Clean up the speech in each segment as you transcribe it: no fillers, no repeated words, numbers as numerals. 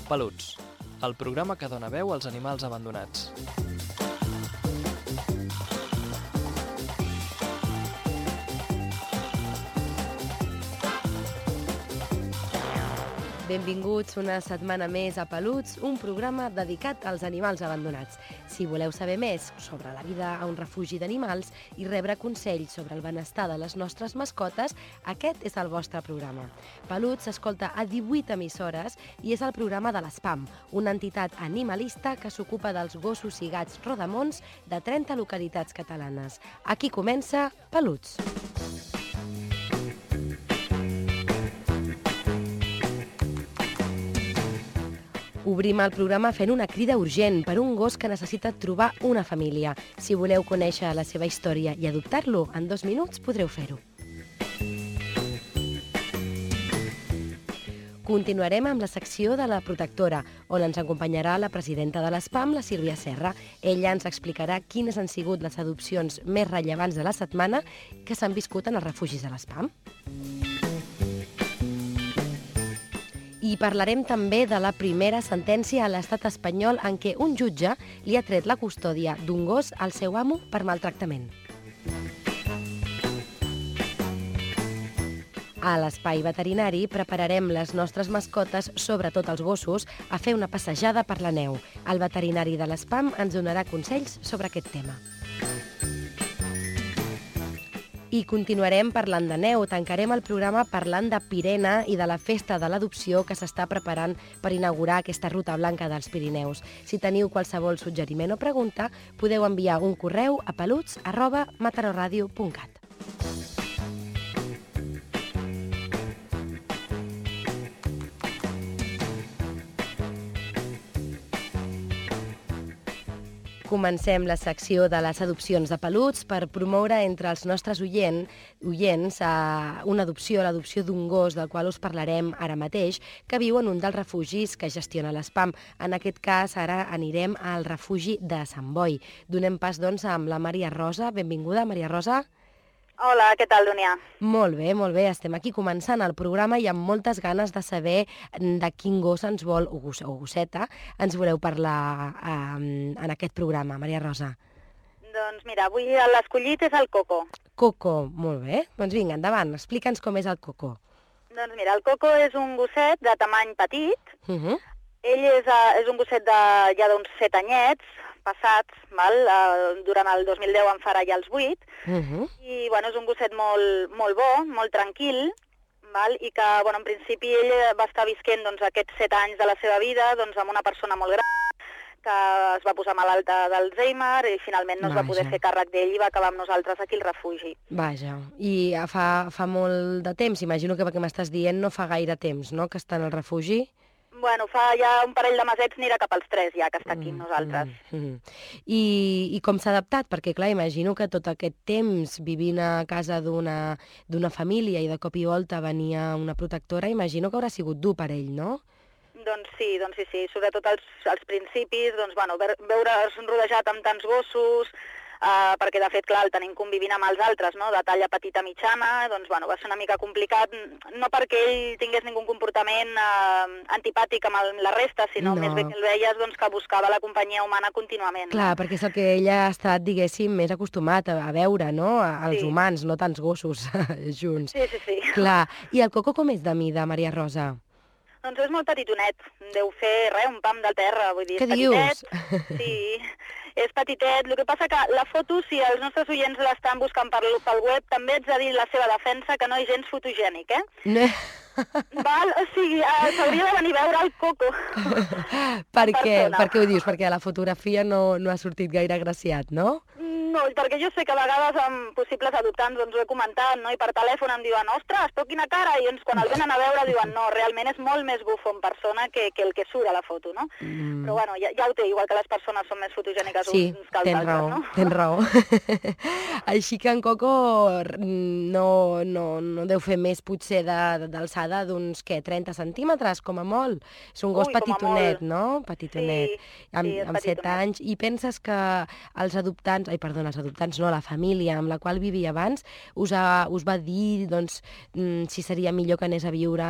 Peluts, el programa que dona veu als animals abandonats. Benvinguts una setmana més a Peluts, un programa dedicat als animals abandonats. Si voleu saber més sobre la vida a un refugi d'animals i rebre consells sobre el benestar de les nostres mascotes, aquest és el vostre programa. Peluts s'escolta a 18 emissores i és el programa de l'SPAM, una entitat animalista que s'ocupa dels gossos i gats rodamons de 30 localitats catalanes. Aquí comença Peluts. Obrim el programa fent una crida urgent per un gos que necessita trobar una família. Si voleu conèixer la seva història i adoptar-lo, en 2 minuts podreu fer-ho. Continuarem amb la secció de la protectora, on ens acompanyarà la presidenta de l'SPAM, la Sílvia Serra. Ella ens explicarà quines han sigut les adopcions més rellevants de la setmana que s'han viscut en els refugis de l'SPAM. I parlarem també de la primera sentència a l'estat espanyol en què un jutge li ha tret la custòdia d'un gos al seu amo per maltractament. A l'espai veterinari prepararem les nostres mascotes, sobretot els gossos, a fer una passejada per la neu. El veterinari de l'SPAM ens donarà consells sobre aquest tema. I continuarem parlant de neu. Tancarem el programa parlant de Pirena i de la festa de l'adopció que s'està preparant per inaugurar aquesta ruta blanca dels Pirineus. Si teniu qualsevol suggeriment o pregunta, podeu enviar un correu a peluts@matarorradio.cat. Comencem la secció de les adopcions de peluts per promoure entre els nostres oients una adopció, l'adopció d'un gos, del qual us parlarem ara mateix, que viu en un dels refugis que gestiona l'SPAM. En aquest cas, ara anirem al refugi de Sant Boi. Donem pas, doncs, amb la Maria Rosa. Benvinguda, Maria Rosa. Hola, què tal, Dúnia? Molt bé, molt bé. Estem aquí començant el programa i amb moltes ganes de saber de quin gos ens vol, o gosseta, ens voleu parlar en aquest programa, Maria Rosa. Doncs mira, avui l'escollit és el Coco. Coco, molt bé. Doncs vinga, endavant, explica'ns com és el Coco. Doncs mira, el Coco és un gosset de tamany petit. Uh-huh. Ell és un gosset ja d'uns 7 anyets passats, durant el 2010 en farà ja els 8, i bueno, és un gosset molt bo, molt tranquil, i que en principi ell va estar visquent aquests 7 anys de la seva vida amb una persona molt gran, que es va posar malalta d'Alzheimer i finalment no es va poder fer càrrec d'ell i va acabar amb nosaltres aquí al refugi. Vaja, i fa molt de temps, imagino que perquè m'estàs dient no fa gaire temps, no?, que està en el refugi? Bueno, fa ja un parell de mesets, anirà cap als 3 ja, que està aquí amb nosaltres. I com s'ha adaptat? Perquè, clar, imagino que tot aquest temps vivint a casa d'una família i de cop i volta venia una protectora, imagino que haurà sigut dur per ell, no? Doncs sí. Sobretot als principis, veure's rodejat amb tants gossos, perquè de fet, clar, el tenim convivint amb els altres, no?, de talla petita mitjana, va ser una mica complicat, no perquè ell tingués ningun comportament antipàtic amb la resta, sinó més bé que el veies que buscava la companyia humana contínuament. Clar, perquè és el que ell ha estat, diguéssim, més acostumat a veure, no?, als humans, no tants gossos junts. Sí. Clar, i el Coco com és de mida, Maria Rosa? Doncs és molt petitonet, deu fer un pam de terra, vull dir, és petitet. Sí, és petitet. El que passa que la foto, si els nostres oients l'estan buscant pel web, també ets de dir la seva defensa que no és gens fotogènic, eh? No. O sigui, s'hauria de venir a veure el Coco. Per què ho dius? Perquè a la fotografia no ha sortit gaire agraciat, no? No, perquè jo sé que a vegades amb possibles adoptants ho he comentat, no? I per telèfon em diuen, ostres, però quina cara, i quan el venen a veure diuen, no, realment és molt més bufo en persona que el que surt a la foto, no? Però bueno, ja ho té, igual que les persones són més fotogèniques uns que els altres, no? Sí, tens raó. Així que en Coco no deu fer més potser d'alçada d'uns, 30 centímetres, com a molt. És un gos petitonet, no? Petitonet. Sí, amb 7 anys. I penses que els adoptants... els adoptants, no, la família amb la qual vivia abans, us va dir doncs, si seria millor que anés a viure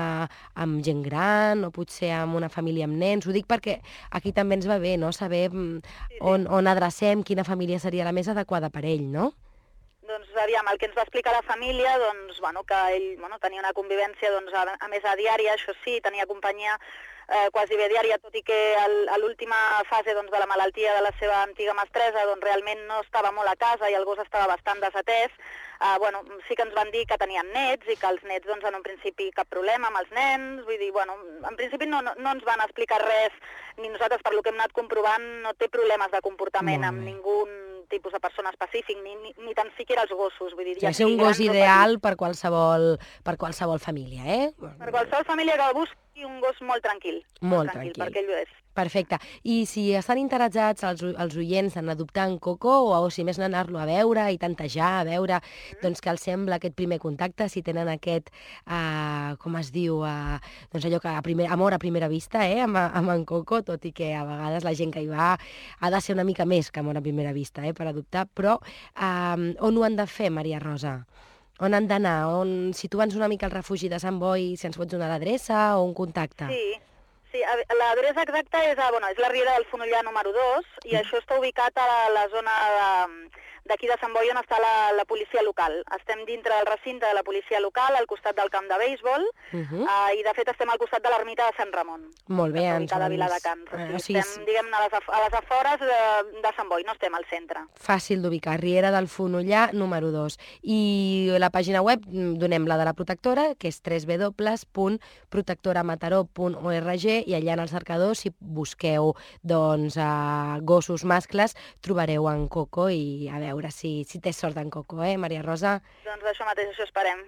amb gent gran o potser amb una família amb nens. Ho dic perquè aquí també ens va bé, no?, saber on adrecem, quina família seria la més adequada per ell, no? Doncs, aviam, el que ens va explicar la família, doncs, bueno, que ell tenia una convivència, doncs, a més a diària, això sí, tenia companyia quasi bé diària, tot i que a l'última fase doncs, de la malaltia de la seva antiga mestressa doncs, realment no estava molt a casa i el gos estava bastant desatès. Bueno, sí que ens van dir que tenien nets i que els nets, doncs, en un principi cap problema amb els nens, vull dir, bueno, en principi no ens van explicar res, ni nosaltres, per lo que hem anat comprovant, no té problemes de comportament amb ningú tipus de persona específic, ni tan siquiera els gossos. Vull dir, ja ser un gos ideal per qualsevol família, eh? Per qualsevol família que busqui un gos molt tranquil. Molt tranquil. Perquè ell ho és. Perfecte. I si estan interessats els oients en adoptar en Coco, o si més no anar-lo a veure i tantejar, a veure doncs què els sembla aquest primer contacte, si tenen aquest, com es diu, doncs allò que amor a primera vista, amb en Coco, tot i que a vegades la gent que hi va ha de ser una mica més que amor a primera vista, per adoptar, però on ho han de fer, Maria Rosa? On han d'anar? Situa'ns una mica al refugi de Sant Boi, si ens pots donar l'adreça o un contacte. Sí, l'adreça exacta és la Riera del Fonollar número 2 i això està ubicat a la zona d'aquí de Sant Boi on està la policia local. Estem dintre del recinte de la policia local, al costat del camp de béisbol, i de fet estem al costat de l'ermita de Sant Ramon. Molt bé. Ubicada a Viladecans. Estem, diguem-ne, a les afores de Sant Boi, no estem al centre. Fàcil d'ubicar, Riera del Fonollar número 2. I la pàgina web, donem la de la protectora, que és www.protectoramataró.org, i allà en el cercador, si busqueu gossos mascles, trobareu en Coco i a veure si té sort en Coco, Maria Rosa? Doncs això mateix, això esperem.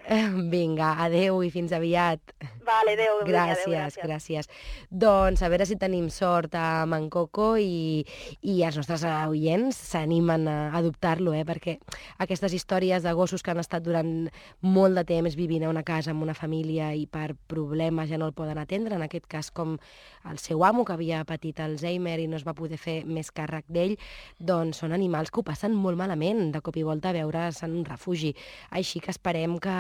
Vinga, adeu i fins aviat. Vale, adeu. Gràcies. Doncs a veure si tenim sort amb en Coco i els nostres oients s'animen a adoptar-lo, perquè aquestes històries de gossos que han estat durant molt de temps vivint a una casa amb una família i per problemes ja no el poden atendre, en aquest cas com el seu amo, que havia patit Alzheimer i no es va poder fer més càrrec d'ell, doncs són animals que ho passen molt malament, de cop i volta a veure's en un refugi. Així que esperem que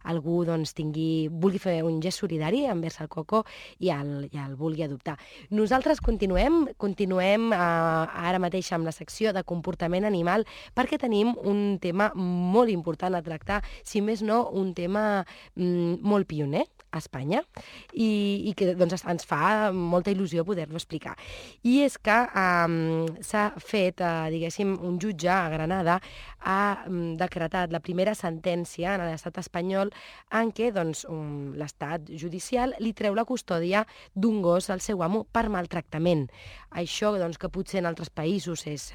algú vulgui fer un gest solidari envers el Coco i el vulgui adoptar. Nosaltres continuem ara mateix amb la secció de comportament animal, perquè tenim un tema molt important a tractar, si més no, un tema molt pioner a Espanya i que ens fa molta il·lusió poder-lo explicar. I és que s'ha fet, diguéssim, un jutge a Granada ha decretat la primera sentència en l'estat espanyol en què l'estat judicial li treu la custòdia d'un gos al seu amo per maltractament. Això que potser en altres països és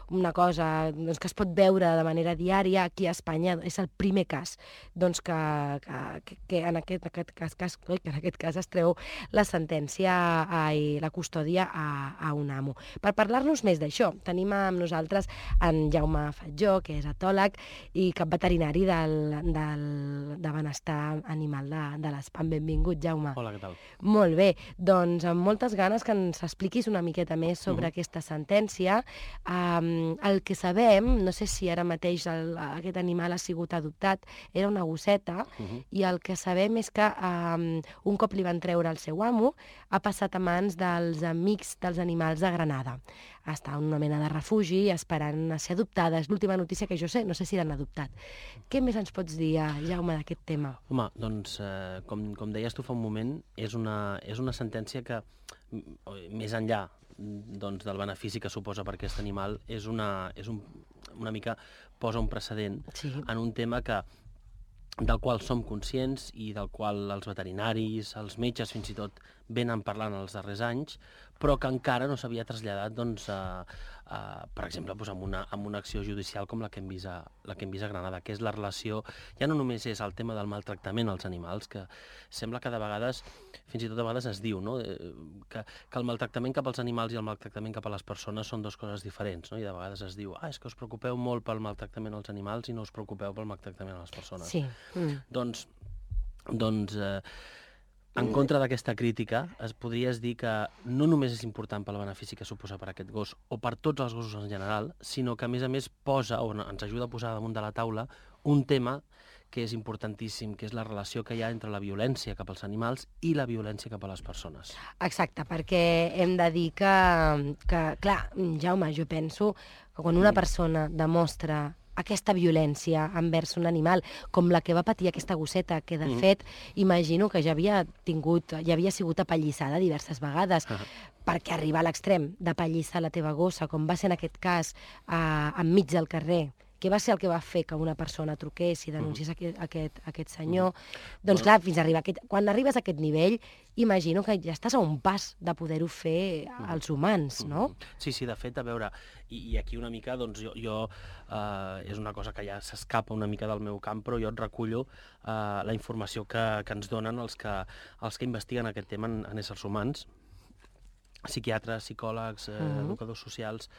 una cosa que es pot veure de manera diària, aquí a Espanya és el primer cas que en aquest cas es treu la sentència i la custòdia a un amo. Per parlar-nos més d'això, tenim amb nosaltres en Jaume Fatjó, que és etòleg i cap veterinari de benestar animal de l'ESPAM. Benvingut, Jaume. Hola, què tal? Molt bé, doncs amb moltes ganes que ens expliquis una miqueta més sobre aquesta sentència. El que sabem, no sé si ara mateix aquest animal ha sigut adoptat, era una gosseta, i el que sabem és que un cop li van treure el seu amo, ha passat a mans dels amics dels animals de Granada. Està en una mena de refugi esperant a ser adoptada. És l'última notícia que jo sé, no sé si l'han adoptat. Què més ens pots dir, Jaume, d'aquest tema? Home, doncs, com deies tu fa un moment, és una sentència que, més enllà del benefici que suposa per aquest animal, és una mica posa un precedent en un tema del qual som conscients i del qual els veterinaris, els metges fins i tot venen parlant els darrers anys, però que encara no s'havia traslladat, per exemple, amb una acció judicial com la que hem vist a Granada, que és la relació, ja no només és el tema del maltractament als animals, que sembla que de vegades, fins i tot de vegades es diu, no? que el maltractament cap als animals i el maltractament cap a les persones són dues coses diferents, no? I de vegades es diu, és que us preocupeu molt pel maltractament als animals i no us preocupeu pel maltractament a les persones. Sí. Doncs en contra d'aquesta crítica, es podries dir que no només és important pel benefici que suposa per aquest gos o per tots els gossos en general, sinó que, a més, posa o ens ajuda a posar damunt de la taula un tema que és importantíssim, que és la relació que hi ha entre la violència cap als animals i la violència cap a les persones. Exacte, perquè hem de dir que clar, Jaume, jo penso que quan una persona demostra aquesta violència envers un animal, com la que va patir aquesta gosseta, que de fet imagino que ja havia sigut apallissada diverses vegades, perquè arribar a l'extrem d'apallissar la teva gossa, com va ser en aquest cas enmig del carrer, què va ser el que va fer que una persona truqués i denunciés aquest senyor? Doncs clar, quan arribes a aquest nivell, imagino que ja estàs a un pas de poder-ho fer als humans, no? Sí, de fet, a veure, i aquí una mica, doncs jo és una cosa que ja s'escapa una mica del meu camp, però jo et recullo la informació que ens donen els que investiguen aquest tema en éssers humans, psiquiatres, psicòlegs, educadors socials,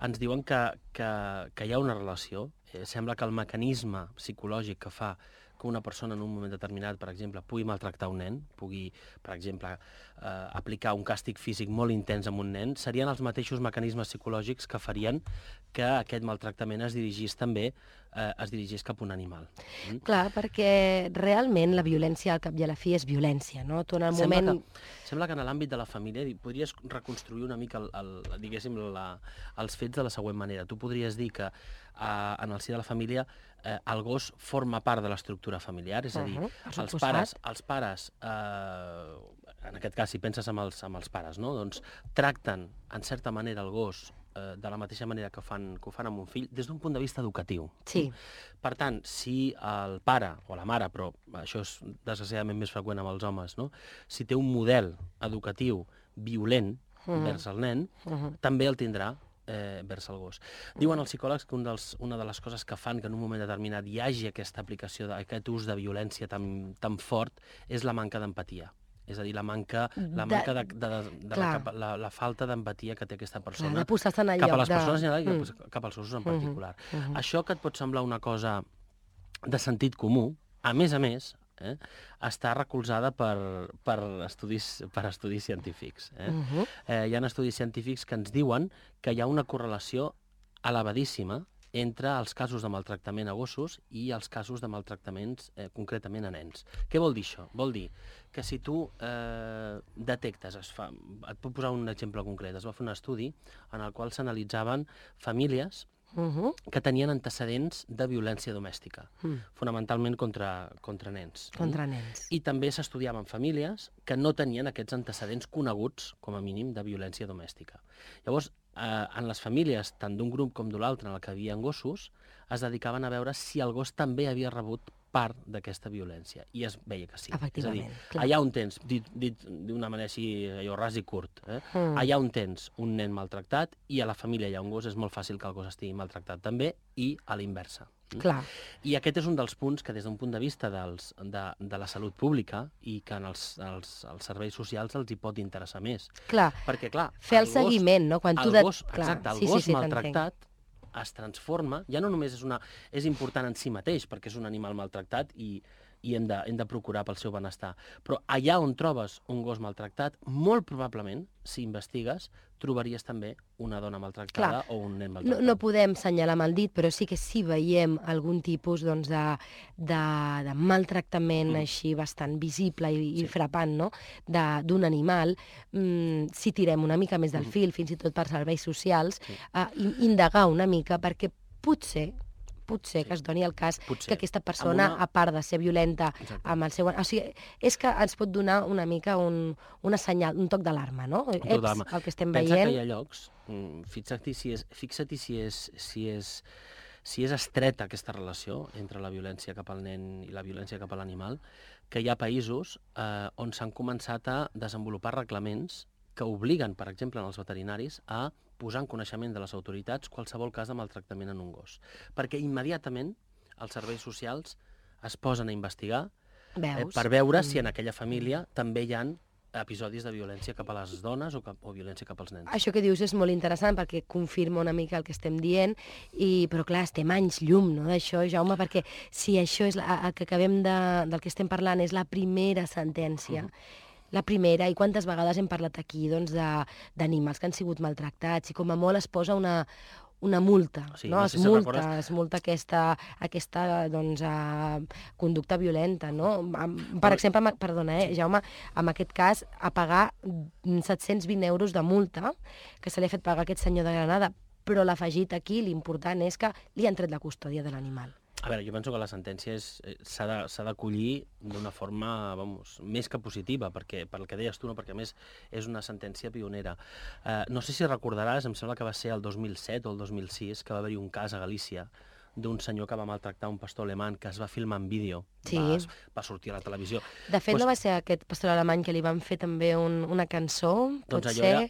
ens diuen que hi ha una relació. Sembla que el mecanisme psicològic que fa que una persona en un moment determinat, per exemple, pugui maltractar un nen, pugui, per exemple, aplicar un càstig físic molt intens a un nen, serien els mateixos mecanismes psicològics que farien que aquest maltractament es dirigís cap a un animal. Clar, perquè realment la violència al cap i a la fi és violència, no? Tu en el moment... Sembla que en l'àmbit de la família podries reconstruir una mica diguéssim, els fets de la següent manera. Tu podries dir que en el si de la família el gos forma part de l'estructura familiar, és a dir, els pares, en aquest cas, si penses amb els pares, no? Doncs tracten, en certa manera, el gos de la mateixa manera que ho fan amb un fill, des d'un punt de vista educatiu. Sí. Per tant, si el pare o la mare, però això és desgraciadament més freqüent amb els homes, no? Si té un model educatiu violent vers el nen, també el tindrà vers el gos. Diuen els psicòlegs que una de les coses que fan que en un moment determinat hi hagi aquesta aplicació, aquest ús de violència tan fort, és la manca d'empatia. És a dir, la falta d'empatia que té aquesta persona cap a les persones en general i cap als gossos en particular. Això que et pot semblar una cosa de sentit comú, a més, està recolzada per estudis científics. Hi ha estudis científics que ens diuen que hi ha una correlació elevadíssima entre els casos de maltractament a gossos i els casos de maltractaments concretament a nens. Què vol dir això? Vol dir que si tu detectes, et puc posar un exemple concret, es va fer un estudi en el qual s'analitzaven famílies que tenien antecedents de violència domèstica, fonamentalment contra nens. Contra nens. I també s'estudiaven famílies que no tenien aquests antecedents coneguts, com a mínim, de violència domèstica. Llavors, en les famílies, tant d'un grup com de l'altre, en el que hi havia gossos, es dedicaven a veure si el gos també havia rebut part d'aquesta violència. I es veia que sí. Efectivament. És a dir, allà on tens, dit d'una manera així, allò ras i curt, allà on tens un nen maltractat i a la família hi ha un gos, és molt fàcil que el gos estigui maltractat també, i a l'inversa. Clar. I aquest és un dels punts que des d'un punt de vista de la salut pública i que en els serveis socials els hi pot interessar més. Clar. Perquè, clar, fer el seguiment, no? Quan el gos maltractat es transforma, ja no només és important en si mateix, perquè és un animal maltractat i hem de procurar pel seu benestar, però allà on trobes un gos maltractat, molt probablement, si investigues, trobaries també una dona maltractada o un nen maltractat. No podem senyalar amb el dit, però sí que si veiem algun tipus de maltractament així bastant visible i frapant, no? d'un animal, si tirem una mica més del fil, fins i tot per serveis socials, indagar una mica, perquè potser que es doni el cas que aquesta persona, a part de ser violenta amb el seu... O sigui, és que ens pot donar una mica una senyal, un toc d'alarma, no? Un toc d'alarma. El que estem veient... Pensa que hi ha llocs, fixa't si és estreta aquesta relació entre la violència cap al nen i la violència cap a l'animal, que hi ha països on s'han començat a desenvolupar reglaments que obliguen, per exemple, els veterinaris a posar en coneixement de les autoritats qualsevol cas de maltractament en un gos. Perquè immediatament els serveis socials es posen a investigar per veure si en aquella família també hi ha episodis de violència cap a les dones o violència cap als nens. Això que dius és molt interessant perquè confirma una mica el que estem dient, però clar, estem anys llum, no, d'això, Jaume, perquè si això és el que acabem del que estem parlant és la primera sentència, la primera, i quantes vegades hem parlat aquí doncs, d'animals que han sigut maltractats, i com a molt es posa una multa, Sí, no? no sé si recordes... Es multa aquesta doncs, conducta violenta, no? Per exemple, perdona, Jaume, en aquest cas, a pagar 720 euros de multa que se li ha fet pagar a aquest senyor de Granada, però l'afegit aquí, l'important és que li han tret la custòdia de l'animal. A veure, jo penso que la sentència s'ha d'acollir d'una forma, més que positiva, perquè, per el que deies tu, no? Perquè a més és una sentència pionera. No sé si recordaràs, em sembla que va ser el 2007 o el 2006, que va haver-hi un cas a Galícia d'un senyor que va maltractar un pastor alemany que es va filmar en vídeo, Sí. va sortir a la televisió. De fet, no va ser aquest pastor alemany que li van fer també una cançó? Doncs allò era...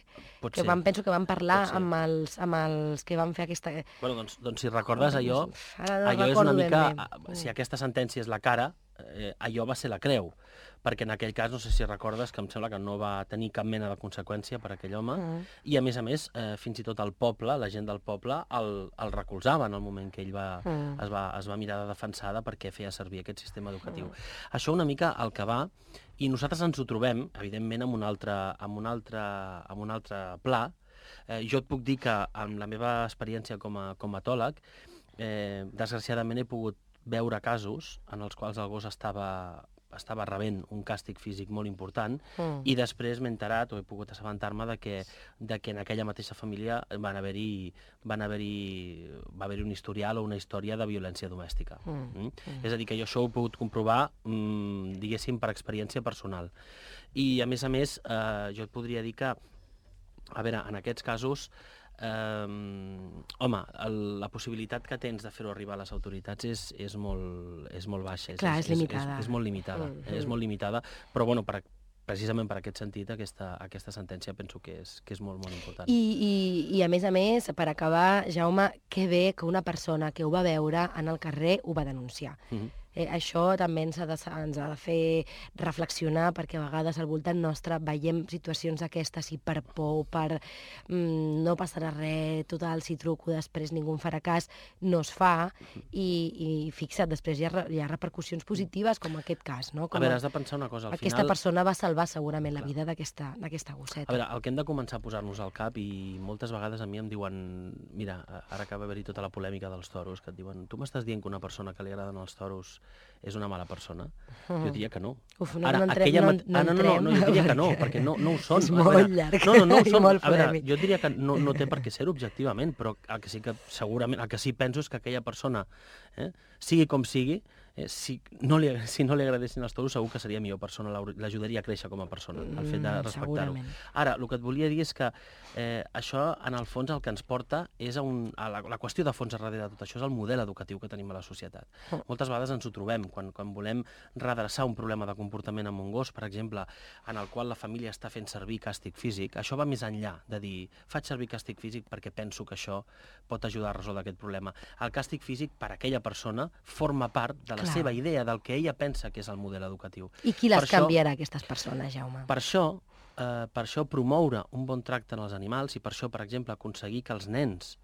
Pot ser. Penso que van parlar amb els que van fer aquesta... Bueno, doncs si recordes allò, Ara no allò és recordo una ben mica... bé. Si aquesta sentència és la cara, allò va ser la creu, perquè en aquell cas, no sé si recordes, que em sembla que no va tenir cap mena de conseqüència per aquell home, i a més, fins i tot el poble, la gent del poble, el recolzava en el moment que ell es va mirar de defensada perquè feia servir aquest sistema educatiu. Això una mica el que va, i nosaltres ens ho trobem, evidentment, en un altre pla. Jo et puc dir que, amb la meva experiència com a etòleg, desgraciadament he pogut veure casos en els quals el gos estava rebent un càstig físic molt important i després m'he enterat o he pogut assabentar-me de que en aquella mateixa família va haver-hi un historial o una història de violència domèstica. És a dir, que jo això ho he pogut comprovar, diguéssim, per experiència personal. I, a més, jo et podria dir que, a veure, en aquests casos, home, la possibilitat que tens de fer-ho arribar a les autoritats és molt baixa. Clar, és limitada. És molt limitada, és molt limitada, però bueno, precisament per aquest sentit, aquesta sentència penso que és molt, molt important. I a més, per acabar, Jaume, que bé que una persona que ho va veure en el carrer ho va denunciar. Això també ens ha de fer reflexionar, perquè a vegades al voltant nostre veiem situacions aquestes i per por, per no passarà res, total, si truco després ningú em farà cas, no es fa, i fixa't, després hi ha repercussions positives, com aquest cas, no? A veure, has de pensar una cosa, al final... Aquesta persona va salvar segurament la vida d'aquesta gosseta. A veure, el que hem de començar a posar-nos al cap, i moltes vegades a mi em diuen, mira, ara acaba d'haver-hi tota la polèmica dels toros, que et diuen, tu m'estàs dient que una persona que li agraden els toros és una mala persona? Jo diria que no. Uf, no entrem. No, jo diria que no, perquè no ho són. És molt llarg. No ho són. Molt a veure, polèmic. jo diria que no té per què ser objectivament, però el que sí que segurament, el que sí penso és que aquella persona, sigui com sigui, si no li agradessin els toros, segur que seria millor persona, l'ajudaria a créixer com a persona, el fet de respectar-ho. Ara, el que et volia dir és que això, en el fons, el que ens porta és a la qüestió de fons darrere de tot això, és el model educatiu que tenim a la societat. Moltes vegades ens ho trobem, quan volem redreçar un problema de comportament amb un gos, per exemple, en el qual la família està fent servir càstig físic, això va més enllà de dir, faig servir càstig físic perquè penso que això pot ajudar a resoldre aquest problema. El càstig físic, per a aquella persona, forma part de la seva idea, del que ella pensa que és el model educatiu. I qui les canviarà, aquestes persones, Jaume? Per això promoure un bon tracte en els animals i per això, per exemple, aconseguir que els nens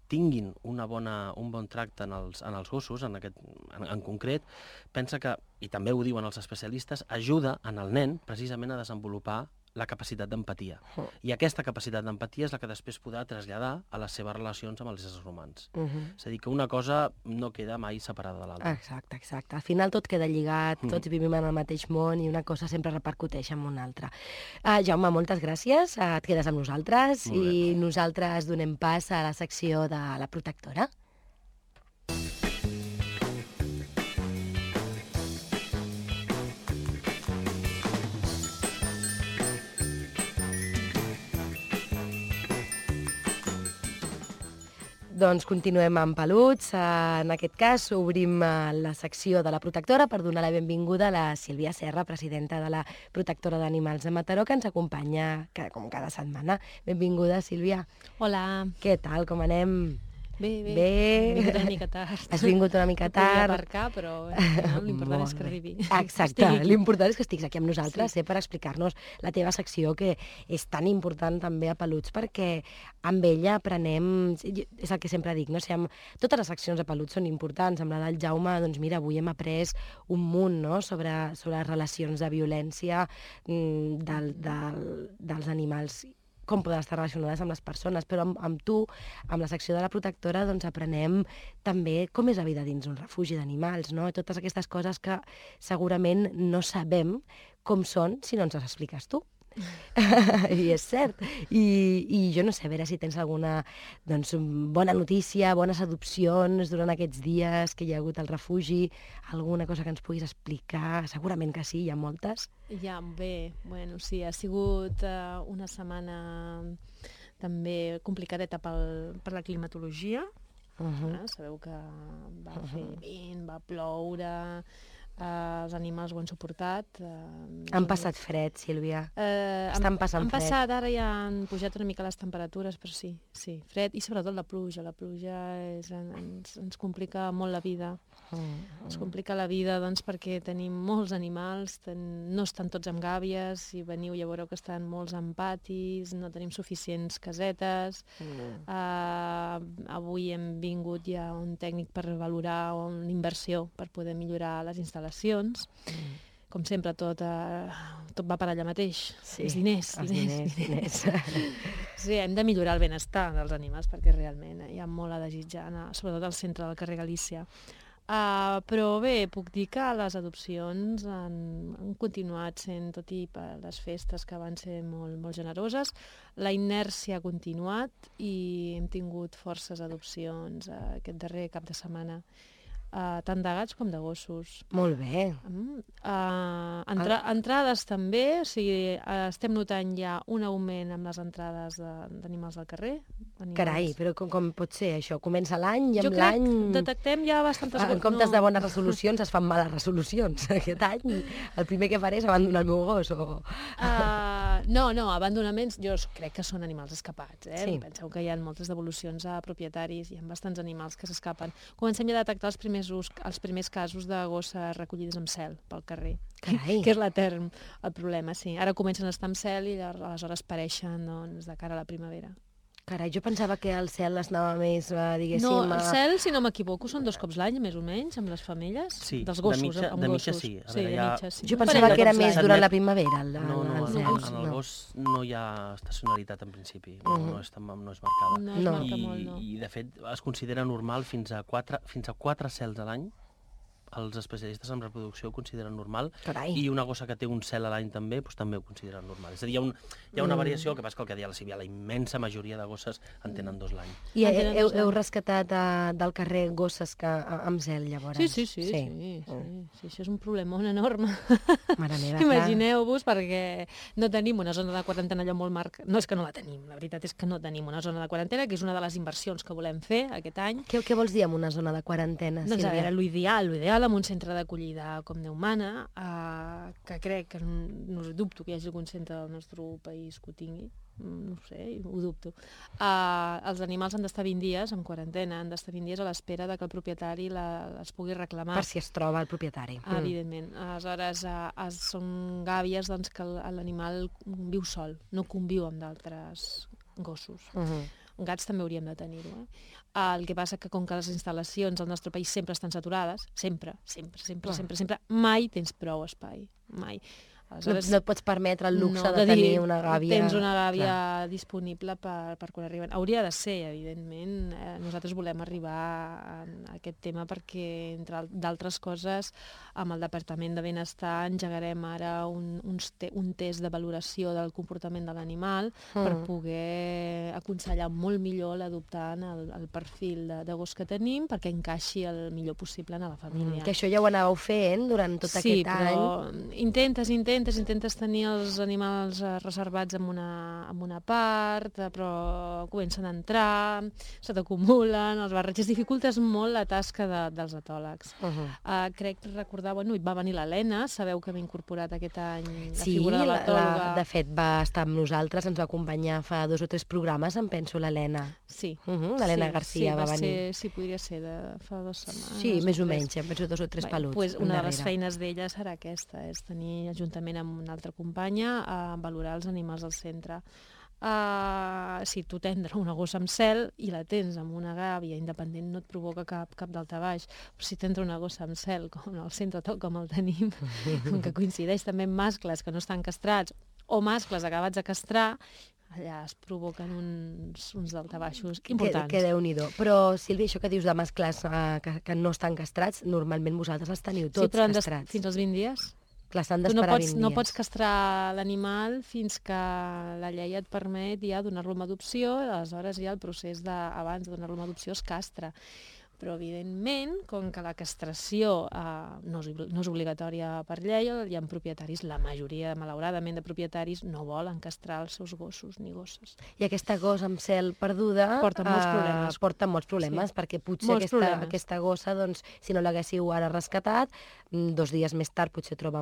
tinguin un bon tracte en els gossos, en concret, pensa que, i també ho diuen els especialistes, ajuda en el nen precisament a desenvolupar la capacitat d'empatia. I aquesta capacitat d'empatia és la que després podrà traslladar a les seves relacions amb els éssers humans. És a dir, que una cosa no queda mai separada de l'altra. Exacte. Al final tot queda lligat, tots vivim en el mateix món i una cosa sempre repercuteix en una altra. Jaume, moltes gràcies, et quedes amb nosaltres i nosaltres donem pas a la secció de la protectora. Doncs continuem amb peluts. En aquest cas obrim la secció de la protectora per donar la benvinguda a la Sílvia Serra, presidenta de la Protectora d'Animals de Mataró, que ens acompanya com cada setmana. Benvinguda, Sílvia. Hola. Què tal, com anem? Bé. Bé. He vingut una mica tard. Has vingut una mica tard. Podria aparcar, però l'important és que arribi. Exacte, l'important és que estiguis aquí amb nosaltres, per explicar-nos la teva secció, que és tan important també a Peluts, perquè amb ella aprenem, és el que sempre dic, no? Totes les seccions de Peluts són importants. Amb la del Jaume, doncs mira, avui hem après un munt, no?, sobre relacions de violència dels animals, com poden estar relacionades amb les persones, però amb tu, amb la secció de la protectora, doncs aprenem també com és la vida dins un refugi d'animals, no? Totes aquestes coses que segurament no sabem com són si no ens les expliques tu. I és cert. I jo no sé, a veure si tens alguna bona notícia, bones adopcions durant aquests dies que hi ha hagut al refugi, alguna cosa que ens puguis explicar. Segurament que sí, hi ha moltes. Ja, bé, bueno, sí, ha sigut una setmana també complicadeta per la climatologia. Sabeu que va fer vent, va ploure, els animals ho han suportat. Han passat fred, Sílvia. Estan passant fred. Ara ja han pujat una mica les temperatures, però sí, fred, i sobretot la pluja. La pluja ens complica molt la vida. Ens complica la vida, doncs, perquè tenim molts animals, no estan tots amb gàbies, si veniu ja veureu que estan molts en patis, no tenim suficients casetes. Avui hem vingut ja un tècnic per valorar una inversió per poder millorar les instal·lacions. Com sempre, tot va per allà mateix. Sí, els diners. Sí, hem de millorar el benestar dels animals perquè realment hi ha molt a desitjar, sobretot al centre del carrer Galícia. Però bé, puc dir que les adopcions han continuat sent, tot i per les festes que van ser molt, molt generoses, la inèrcia ha continuat i hem tingut forces adopcions aquest darrer cap de setmana. Tant de gats com de gossos. Molt bé. Entrades també, o sigui, estem notant ja un augment amb les entrades d'animals al carrer. Carai, però com pot ser això? Comença l'any i amb Jo l'any... crec que detectem ja bastantes... En comptes de bones resolucions es fan males resolucions. Aquest any el primer que faré és abandonar el meu gos o... No, abandonaments jo crec que són animals escapats. Sí. Penseu que hi ha moltes devolucions a propietaris, hi ha bastants animals que s'escapen. Comencem ja a detectar els primers casos de gosses recollides amb cel pel carrer. Carai. Que és l'etern el problema, sí. Ara comencen a estar amb cel i aleshores pareixen de cara a la primavera. Carai, jo pensava que el cel es anava més, diguéssim... No, el cel, si no m'equivoco, són 2 cops l'any, més o menys, amb les femelles. Sí, dels gossos, de mitja sí. Sí, de mitja sí. Jo pensava que era més durant la primavera, el cel. En el gos no hi ha estacionalitat en principi, no és marcada. No es marca molt, no. I de fet es considera normal fins a 4 cels a l'any. Els especialistes en reproducció ho consideren normal. Carai. I una gossa que té un cel a l'any també ho consideren normal. És a dir, hi ha una variació, que passa que el que deia la Sílvia, la immensa majoria de gosses en tenen 2 l'any. I heu rescatat del carrer gosses amb cel, llavors? Sí. Això és un problemón enorme. Mare meva, imagineu-vos, perquè no tenim una zona de quarantena allò molt marcada. No és que no la tenim, la veritat és que no tenim una zona de quarantena, que és una de les inversions que volem fer aquest any. Què vols dir amb una zona de quarantena, Sílvia? Sílvia? Doncs a veure, l'ideal amb un centre d'acollida com Déu mana, que crec que no dubto que hi hagi algun centre del nostre país que ho tingui, no ho sé, ho dubto. Els animals han d'estar 20 dies en quarantena, han d'estar 20 dies a l'espera que el propietari els pugui reclamar. Per si es troba el propietari. Evidentment. Aleshores, són gàbies doncs, que l'animal viu sol, no conviu amb d'altres gossos. Gats també hauríem de tenir-ho. El que passa que com que les instal·lacions al nostre país sempre estan saturades, sempre, mai tens prou espai, mai. Aleshores, no et pots permetre el luxe de tenir una gàbia... Tens una gàbia disponible per quan arriben. Hauria de ser, evidentment. Nosaltres volem arribar a aquest tema perquè, entre d'altres coses, amb el Departament de Benestar engegarem ara un test de valoració del comportament de l'animal per poder aconsellar molt millor l'adoptant el perfil de gos que tenim perquè encaixi el millor possible en la família. Que això ja ho anàveu fent durant tot aquest any. Sí, però intentes, intentes tenir els animals reservats en una part, però comencen a entrar, se t'acumulen, els barretges, dificultes molt la tasca dels etòlegs. Crec recordar, hi va venir l'Helena, sabeu que m'ha incorporat aquest any la figura de l'etòloga. De fet va estar amb nosaltres, ens va acompanyar fa 2 o 3 programes, em penso, l'Helena. Sí. L'Helena Garcia va venir. Sí, podria ser de fa 2 setmanes. Sí, més o menys, em penso 2 o 3 peluts. Una de les feines d'ella serà aquesta, és tenir, juntament amb una altra companya, a valorar els animals al centre. Si tu tens una gossa amb cel i la tens amb una gàbia independent no et provoca cap daltabaix, però si tens una gossa amb cel com al centre tal com el tenim, que coincideix també amb mascles que no estan castrats o mascles acabats de castrar, allà es provoquen uns daltabaixos importants. Que Déu-n'hi-do. Però, Sílvia, això que dius de mascles que no estan castrats, normalment vosaltres els teniu tots castrats. Fins als 20 dies. Clar, s'han d'esperar 20 dies. No pots castrar l'animal fins que la llei et permet ja donar-lo en adopció, aleshores ja el procés abans de donar-lo en adopció es castra. Però, evidentment, com que la castració no és obligatòria per llei, hi ha propietaris, la majoria, malauradament, de propietaris no volen castrar els seus gossos ni gosses. I aquesta gossa amb cel perduda porta molts problemes, perquè potser aquesta gossa, doncs, si no l'haguéssiu ara rescatat, 2 dies més tard potser es troba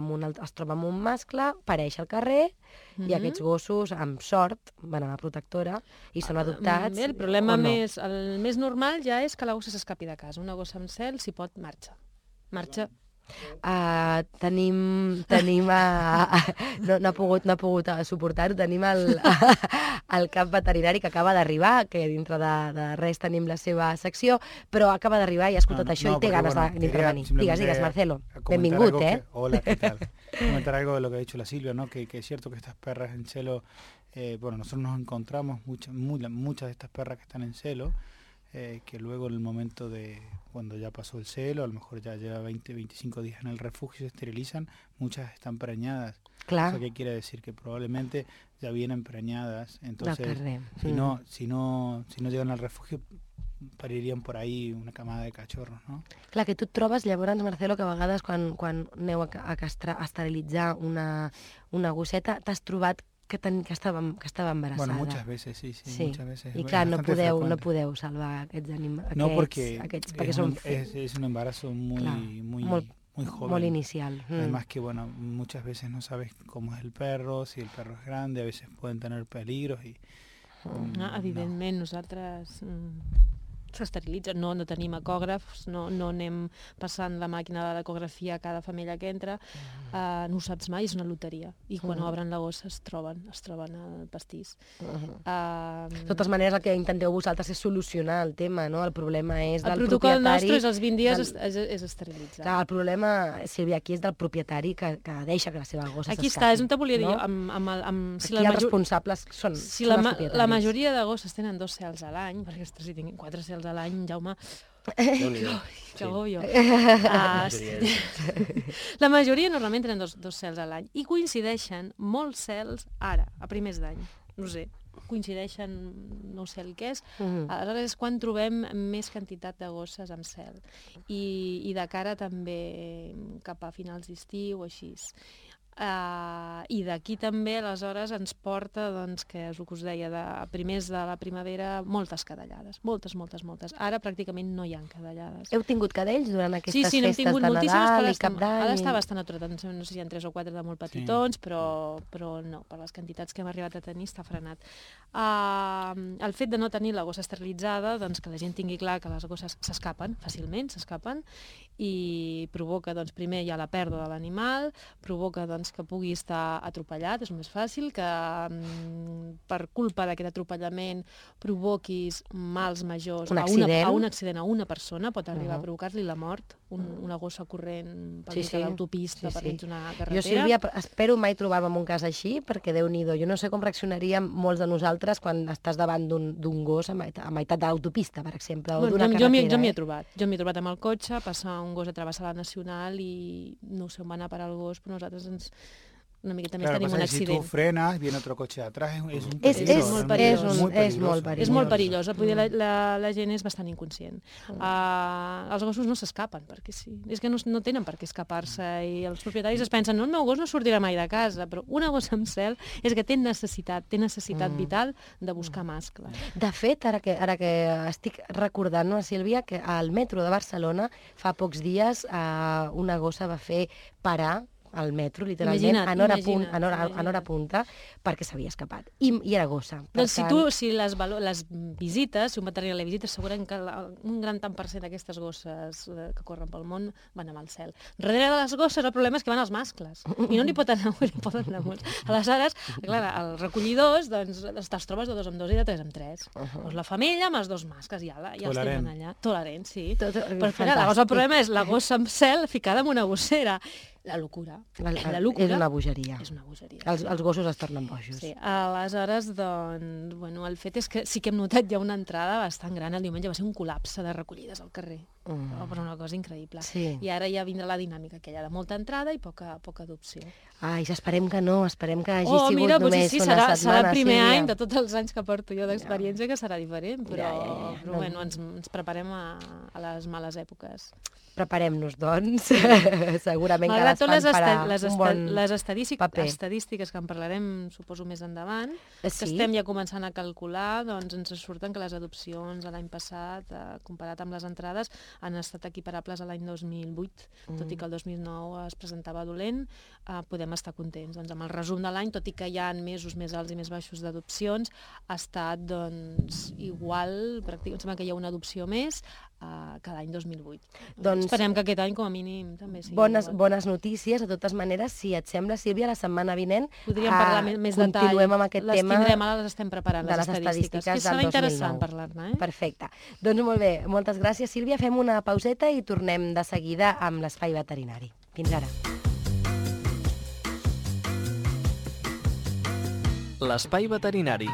amb un mascle, pareix al carrer, i aquests gossos, amb sort, van a la protectora i són adoptats. El problema el més normal ja és que la gossa s'escapi de casa. Una gossa amb cel, si pot, marxa. Tenim no ha pogut suportar-ho. Tenim el cap veterinari que acaba d'arribar, que dintre de res tenim la seva secció, però acaba d'arribar i ha escutat això i té ganes d'intervenir. Digues, Marcelo. Benvingut, Hola, ¿qué tal? Comentar algo de lo que ha dicho la Silvia, ¿no? Que es cierto que estas perras en celo, nosotros nos encontramos muchas de estas perras que están en celo, que luego en el momento de cuando ya pasó el celo, a lo mejor ya lleva 20-25 días en el refugio y se esterilizan, muchas están preñadas. Claro. Eso qué quiere decir que probablemente ya vienen preñadas, entonces si no llegan al refugio parirían por ahí una camada de cachorros, no? Clar, que tu et trobes, llavors, Marcelo, que a vegades quan aneu a esterilitzar una gosseta, t'has trobat que estava embarassada. Bueno, muchas veces, sí, muchas veces. I clar, no podeu salvar aquests animals. No, porque es un embarazo muy joven. Muy inicial. Además que, muchas veces no sabes cómo es el perro, si el perro es grande, a veces pueden tener peligros y... Evidentment, nosaltres s'esterilitza, no tenim ecògrafs, no anem passant la màquina de l'ecografia a cada femella que entra, no ho saps mai, és una loteria, i quan obren la gossa es troben al pastís. De totes maneres, el que intenteu vosaltres és solucionar el tema, no? El problema és del propietari... El protocol nostre és als 20 dies és esterilitzar. Clar, el problema, Sílvia, aquí és del propietari que deixa que la seva gossa s'escapi. Aquí està, és on te volia dir. Aquí els responsables són els propietaris. La majoria de gosses tenen 2 cels a l'any, perquè ostres, si tinguin 4 cels a l'any, Jaume... Que agobio. La majoria normalment tenen 2 cels a l'any i coincideixen molts cels ara, a primers d'any. No sé, coincideixen, no sé el que és. Aleshores és quan trobem més quantitat de gosses amb cel. I de cara també cap a finals d'estiu o així. I d'aquí també, aleshores, ens porta, que és el que us deia, a primers de la primavera, moltes cadellades. Moltes. Ara pràcticament no hi ha cadellades. Heu tingut cadells durant aquestes festes de Nadal i Cap d'Any? Ara està bastant aturat, no sé si hi ha 3 o 4 de molt petitons, però no, per les quantitats que hem arribat a tenir està frenat. El fet de no tenir la gossa esterilitzada, que la gent tingui clar que les gosses s'escapen fàcilment, i provoca, primer hi ha la pèrdua de l'animal, provoca, que pugui estar atropellat, és més fàcil, que per culpa d'aquest atropellament provoquis mals majors a un accident a una persona, pot arribar a provocar-li la mort, una gossa corrent per mig de l'autopista, per mig d'una carretera. Jo, Sílvia, espero mai trobar-me en un cas així, perquè Déu-n'hi-do, jo no sé com reaccionaríem molts de nosaltres quan estàs davant d'un gos a meitat de l'autopista, per exemple, o d'una carretera. Jo m'hi he trobat amb el cotxe, passar un gos a travessar la Nacional i no sé on va anar a parar el gos, però nosaltres una miqueta més Claro, tenim pasa un que si tú accident. frenas, viene otro coche de atrás, es un És peligro, molt realmente perillós. es muy És molt peligroso. És molt perillosa, vull dir, la gent és bastant inconscient. Els gossos no s'escapen, perquè sí. És que no tenen per què escapar-se i els propietaris es pensen, no, el meu gos no sortirà mai de casa, però una gossa amb cel és que té necessitat vital de buscar mascle. De fet, ara que estic recordant, no, Sílvia, que al metro de Barcelona fa pocs dies una gossa va fer parar al metro, literalment, en hora punta, perquè s'havia escapat. I era gossa. Doncs si les visites, si un veterinari la visita, segurament que un gran tant per cent d'aquestes gosses que corren pel món van amb el cel. Darrere de les gosses el problema és que van els mascles, i no n'hi poden anar molts. Aleshores, clar, els recollidors, doncs, te'ls trobes de 2 en 2 i de 3 en 3. Doncs la femella amb els 2 mascles, ja els tenen allà. Tolerant, sí. Però clar, el problema és la gossa amb cel ficada en una gossera. La locura. És una bogeria. És una bogeria. Els gossos es tornen bojos. Sí, aleshores, doncs, bueno, el fet és que sí que hem notat ja una entrada bastant gran. El diumenge va ser un col·lapse de recollides al carrer. Però una cosa increïble. Sí. I ara ja vindrà la dinàmica aquella de molta entrada i poca adopció. Ai, esperem que no, esperem que hagi sigut només sí, una setmana. Serà el primer any de tots els anys que porto jo d'experiència que serà diferent, però bueno, ens preparem a les males èpoques. Preparem-nos, doncs. Segurament que malgrat tot les estadístiques que en parlarem, suposo, més endavant, que estem ja començant a calcular, doncs ens surten que les adopcions l'any passat, comparat amb les entrades, han estat equiparables a l'any 2008, tot i que el 2009 es presentava dolent, podem estar contents. Doncs amb el resum de l'any, tot i que hi ha mesos més alts i més baixos d'adopcions, ha estat doncs, igual, pràcticament sembla que hi ha una adopció més que l'any 2008. Doncs esperem que aquest any, com a mínim, també sigui bones notícies. De totes maneres, si et sembla, Sílvia, la setmana vinent podríem parlar més detall. Continuem amb aquest tema. Les estem preparant, les estadístiques. Que serà interessant parlar-ne. Perfecte. Doncs molt bé, moltes gràcies, Sílvia. Fem una pauseta i tornem de seguida amb l'Espai Veterinari. Fins ara. L'Espai Veterinari.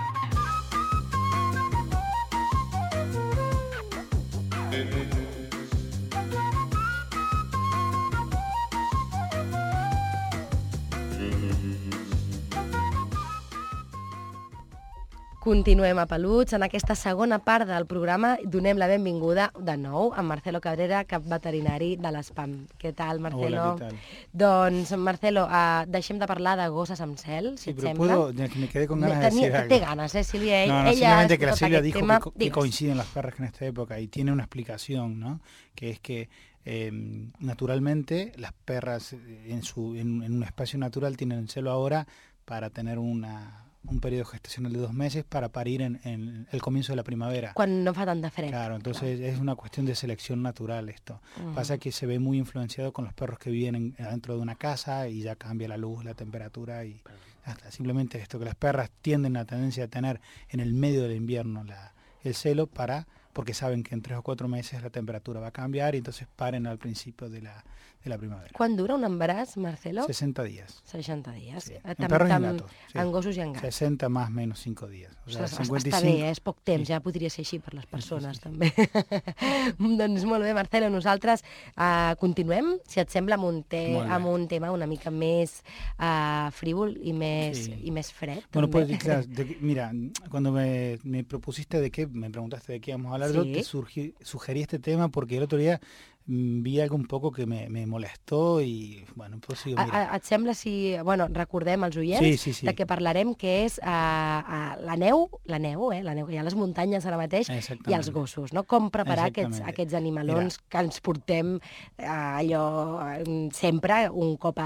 Continuem a Peluts. En aquesta segona part del programa donem la benvinguda de nou a Marcelo Cabrera, cap veterinari de l'ESPAM. Què tal, Marcelo? Hola, què tal? Doncs, Marcelo, deixem de parlar de gosses amb cel, si et sembla. Me quedé con ganas de decir algo. Té ganas, Silvia. No, simplemente que la Silvia dijo que coinciden las perras en esta época y tiene una explicación, ¿no? Que es que naturalmente las perras en un espacio natural tienen el celo ahora para tener un periodo gestacional de 2 meses para parir en el comienzo de la primavera. Cuando no fa tan de fred. Claro, entonces es una cuestión de selección natural esto. Pasa que se ve muy influenciado con los perros que viven dentro de una casa y ya cambia la luz, la temperatura y hasta simplemente esto, que las perras tienden la tendencia a tener en el medio del invierno el celo porque saben que en 3 o 4 meses la temperatura va a cambiar y entonces paren al principio de la primavera. ¿Cuándo dura un embaràs, Marcelo? 60 días. 60 días. Sí. En perros i en gatos. Sí. En gossos i en gats. 60 más menos 5 días. O sea, 55... Està bé, és poc temps, ja podria ser així per les persones, també. Doncs molt bé, Marcelo, nosaltres continuem, si et sembla, amb un tema una mica més frívol i més fred. Bueno, pues claro, mira, cuando me propusiste me preguntaste de qué íbamos a hablar, yo te sugerí este tema porque el otro día vi algo un poco que me molestó i, bueno, pues sí, mira. Et sembla si... Bueno, recordem als oients de què parlarem, que és la neu que hi ha a les muntanyes ara mateix, i els gossos, no? Com preparar aquests animalons que ens portem allò sempre, un cop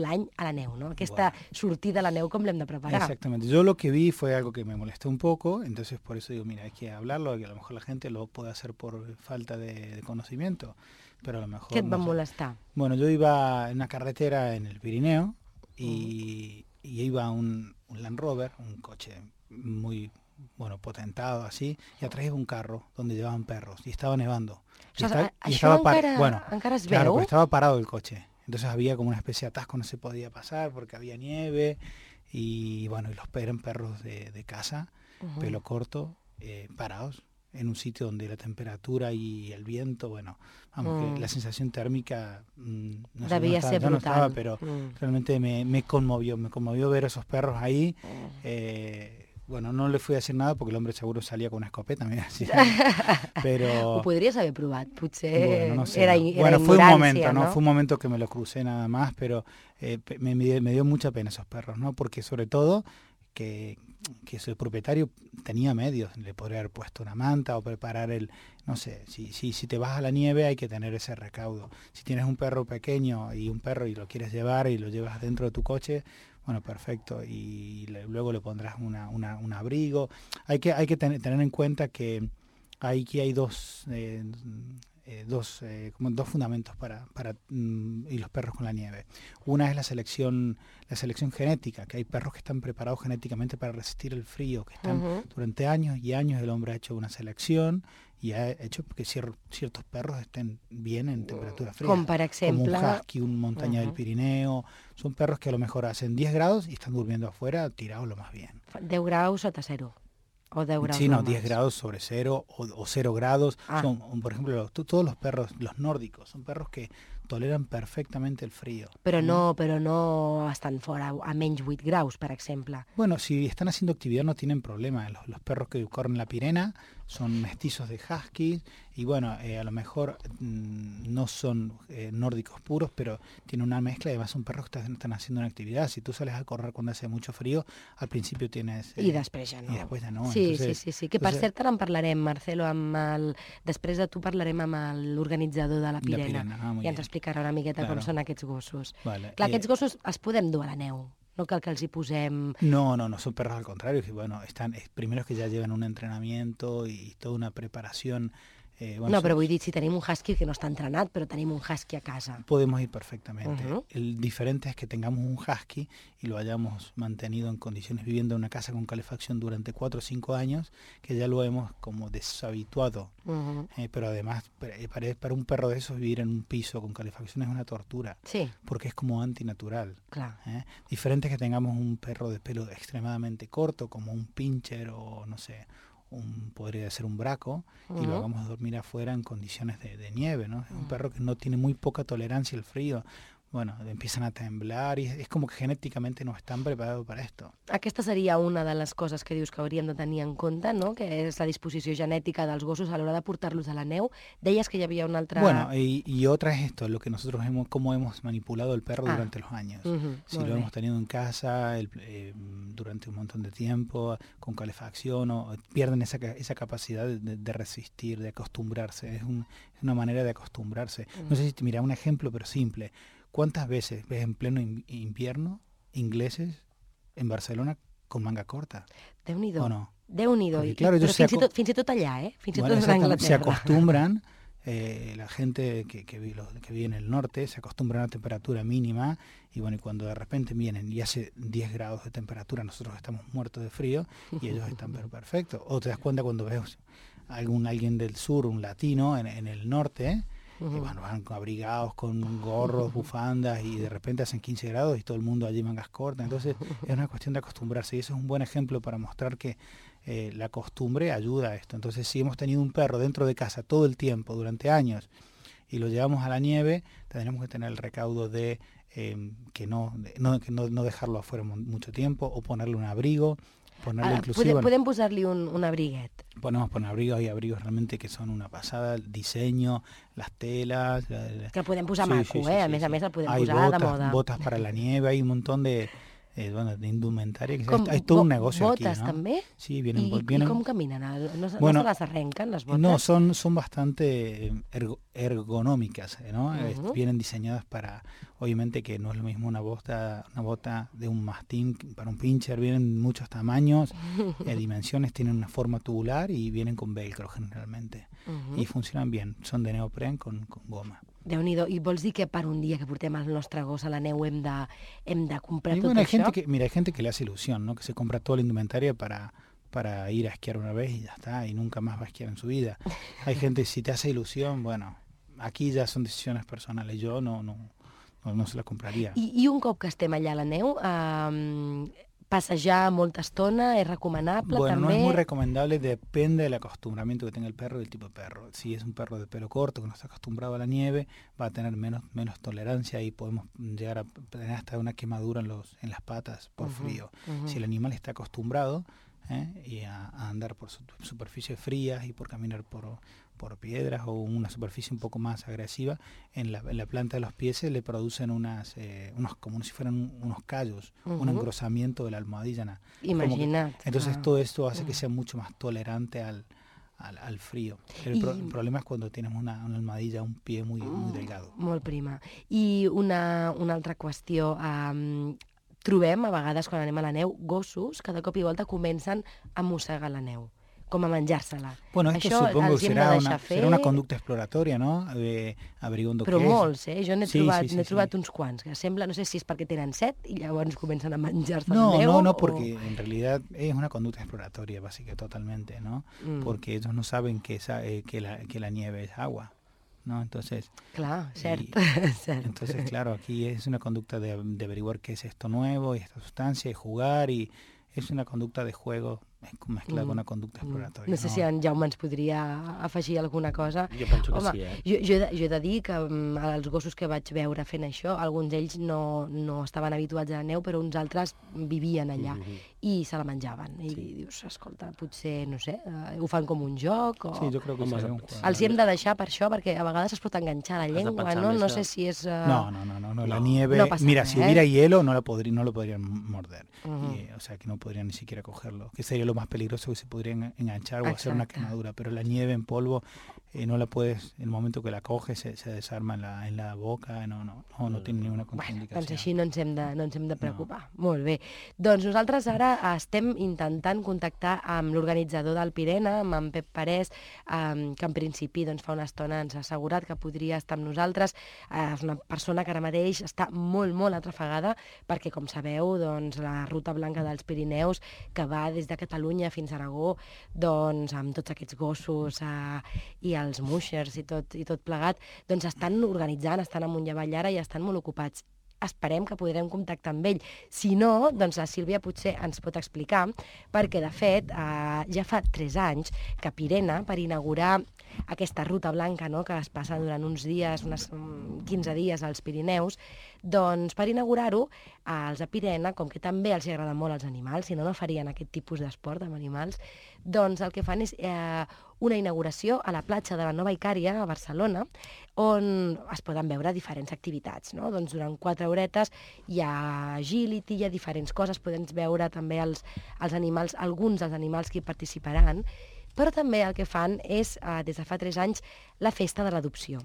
l'any a la neu, no? Aquesta sortida a la neu, com l'hem de preparar? Exactamente. Yo lo que vi fue algo que me molestó un poco, entonces por eso digo, mira, hay que hablarlo, que a lo mejor la gente lo puede hacer por falta de conocimiento. Pero a lo mejor... ¿Qué te va a molestar? Bueno, yo iba en una carretera en el Pirineo y iba un Land Rover, un coche muy potentado así, y atrás iba un carro donde llevaban perros y estaba nevando. Encara es veu? Claro, pero estaba parado el coche. Entonces había como una especie de atasco, no se podía pasar porque había nieve y bueno, y eran perros de casa, pelo corto, parados. en un sitio donde la temperatura y el viento, bueno, vamos, que la sensación térmica no sé, Devia ser ya no brutal. estaba, pero realmente me conmovió ver esos perros ahí. Bueno, no le fui a decir nada porque el hombre seguro salía con una escopeta, mira, sí. Pero Ho podries haver provat, potser bueno, no sé, era, no. era Bueno, fue un ignorància, momento, no? Fue un momento que me lo crucé nada más, pero me dio mucha pena esos perros, ¿no? Porque sobre todo que su propietario tenía medios, le podría haber puesto una manta o preparar no sé, si te vas a la nieve hay que tener ese recaudo. Si tienes un perro pequeño y lo quieres llevar y lo llevas dentro de tu coche, bueno, perfecto, y luego le pondrás un abrigo. Hay que tener en cuenta que aquí hay dos fundamentos para y los perros con la nieve. Una es la selección genética, que hay perros que están preparados genéticamente para resistir el frío, que están durante años y años el hombre ha hecho una selección y ha hecho que ciertos perros estén bien en temperatura fría. Com per exemple... Como un husky, un montaña del Pirineo. Son perros que a lo mejor hacen 10 grados y están durmiendo afuera tirados lo más bien. 10 graus sota cero. O 10 graus Sí, no, normals. 10 grados sobre cero o 0 grados. Ah. Son, por ejemplo, todos los perros, los nórdicos, son perros que toleran perfectamente el frío. Però no estan fora a menys 8 graus, per exemple. Bueno, si están haciendo actividad no tienen problema. Los perros que corren la Pirena son mestizos de huskies y bueno, a lo mejor no son nórdicos puros, pero tienen una mezcla y además son perros que están haciendo una actividad. Si tú sales a correr cuando hace mucho frío, al principio tienes... I després ja no. I després ja no. Sí, Entonces, sí. Que per cert ara en parlarem, Marcelo, després de tu parlarem amb l'organitzador de la Pirena. Muy I ens bien. explicarà una miqueta com Claro. són aquests gossos. Vale. Clar, aquests gossos els podem dur a la neu. No cal que els hi posem... No, son perros al contrario, que bueno, primero es que ya llevan un entrenamiento y toda una preparación. Bueno, No, però vull dir, si tenim un husky que no està entrenat, però tenim un husky a casa. podemos ir perfectamente. El diferente es que tengamos un husky y lo hayamos mantenido en condiciones viviendo en una casa con calefacción durante 4 o 5 años, que ya lo hemos como deshabituado. Pero además, para un perro de esos vivir en un piso con calefacción es una tortura, Sí, porque es como antinatural. clar. Diferente es que tengamos un perro de pelo extremadamente corto, como un pincher o no sé, podría ser un braco, y lo hagamos dormir afuera en condiciones de nieve, ¿no? Es un perro que no tiene muy poca tolerancia al frío. Bueno, empiezan a temblar y es como que genéticamente no están preparados para esto. Aquesta seria una de les coses que dius que hauríem de tenir en compte, no? Que és la disposició genètica dels gossos a l'hora de portar-los a la neu. Deies que hi havia una altra... Bueno, y otra es esto, lo que nosotros cómo hemos manipulado el perro durante los años. Si molt lo bé. hemos tenido en casa durante un montón de tiempo, con calefacción, o pierden esa capacidad de resistir, de acostumbrarse. Es una manera de acostumbrarse. No sé si te mira un ejemplo, pero simple. ¿Cuántas veces ves en pleno invierno ingleses en Barcelona con manga corta? Déu-n'hi-do. ¿O no? Déu-n'hi-do. Porque, claro, ellos Però fins i tot allà, Fins i Bueno, tot a exactamente, se Anglaterra. acostumbran, la gente que vive en el norte se acostumbra a una temperatura mínima y bueno, y cuando de repente vienen y hace 10 grados de temperatura, nosotros estamos muertos de frío y ellos están perfectos. O te das cuenta cuando ves alguien del sur, un latino en el norte, y bueno, van abrigados con gorros, bufandas y de repente hacen 15 grados y todo el mundo allí mangas cortas. Entonces es una cuestión de acostumbrarse y eso es un buen ejemplo para mostrar que la costumbre ayuda a esto. Entonces si hemos tenido un perro dentro de casa todo el tiempo, durante años, y lo llevamos a la nieve, tendremos que tener el recaudo de que no dejarlo afuera mucho tiempo o ponerle un abrigo, ponerle inclusive... Podem posar-li un abriguet. Podemos poner abrigos, hay abrigos realmente que son una pasada, el diseño, las telas... Que el podem posar maco, A més a més el podem hay posar botas, de moda. botas para la nieve, hay un montón de indumentaria. Hay todo un negocio aquí, botes ¿no? també? Sí, vienen... I com caminen? No Bueno, se les arrenquen, les botes? No, son bastante ergonómicas, ¿no? Vienen diseñadas para, obviamente que no es lo mismo una bota de un mastín para un pincher, vienen muchos tamaños, dimensiones, tienen una forma tubular y vienen con velcro generalmente. Y funcionan bien, son de neopren con goma. Déu-n'hi-do. I vols dir que per un dia que portem el nostre gos a la neu hem de comprar Y tot bueno, hay això? gente que le hace ilusión, ¿no? Que se compra toda la indumentaria para ir a esquiar una vez y ya está, y nunca más va a esquiar en su vida. Hay gente, si te hace ilusión, bueno, aquí ya son decisiones personales, yo no se la compraría. I un cop que estem allà a la neu, passejar molta estona es recomanable Bueno, no també? es muy recomendable, depende del acostumbramiento que tenga el perro y el tipo de perro. Si es un perro de pelo corto que no está acostumbrado a la nieve, va a tener menos tolerancia y podemos llegar a tener hasta una quemadura en las patas por frío. Si el animal está acostumbrado y a andar por superficies frías y por caminar por piedras o una superficie un poco más agresiva, en la planta de los pies se le producen unos como si fueran unos callos, un engrosamiento de la almohadilla. Imagina't. Entonces todo esto hace que sea mucho más tolerante al frío. El problema es cuando tienes una almohadilla, un pie muy delgado. Molt prima. I una altra qüestió. Trobem, a vegades, quan anem a la neu, gossos que de cop i volta comencen a mossegar la neu, com a menjar-se-la. Bueno, esto Això supongo els que hem de deixar fer. será una conducta exploratoria, ¿no? Averiguando Però qué es. molts, Jo n'he Sí, trobat uns quants, que sembla, no sé si és perquè tenen set i llavors comencen a menjar-se la No, neu. no, porque en realidad es una conducta exploratoria, básicamente, totalmente, ¿no? Porque ellos no saben que la nieve es agua, ¿no? Entonces... Clar, cert. Entonces, claro, aquí es una conducta de averiguar qué es esto nuevo y esta sustancia y jugar, y es una conducta de juego mezclada con una conducta exploratoria. No sé si en Jaume ens podria afegir alguna cosa. Jo penso que Home, sí, jo he de dir que els gossos que vaig veure fent això, alguns d'ells no estaven habituats a la neu, però uns altres vivien allà i se la menjaven. I dius, escolta, potser, no sé, ho fan com un joc o... Sí, yo creo que sería un juego. Els hi hem de deixar per això, perquè a vegades es pot enganxar la llengua, no? No sé si és... No, la nieve... No pasa mira, nada, si hubiera hielo no lo podrían morder. O sea, que no podrían ni siquiera cogerlo. Que sería lo más peligroso, que se podrían enganchar o hacer una quemadura. Pero la nieve en polvo no la puedes... En el momento que la coges se desarma en la boca. No tiene ninguna contraindicació. Doncs així no ens hem de preocupar. Molt bé. Doncs nosaltres ara estem intentant contactar amb l'organitzador del Pirena, amb en Pep Parés, que en principi fa una estona ens ha assegurat que podria estar amb nosaltres. És una persona que ara mateix està molt, molt atrafegada perquè, com sabeu, la Ruta Blanca dels Pirineus, que va des de Catalunya fins a Aragó, amb tots aquests gossos i els mushers i tot plegat, estan organitzant, estan amunt i avall ara i estan molt ocupats. Esperem que podrem contactar amb ell. Si no, la Sílvia potser ens pot explicar, perquè, de fet, ja fa 3 anys que Pirena, per inaugurar aquesta ruta blanca, que es passa durant uns dies, uns 15 dies als Pirineus, per inaugurar-ho, els de Pirena, com que també els agrada molt als animals, si no, no farien aquest tipus d'esport amb animals, el que fan és una inauguració a la platja de la Nova Icària, a Barcelona, on es poden veure diferents activitats. Durant 4 horetes hi ha agility, hi ha diferents coses, podem veure també els animals, alguns dels animals que hi participaran, però també el que fan és, des de fa 3 anys, la festa de l'adopció.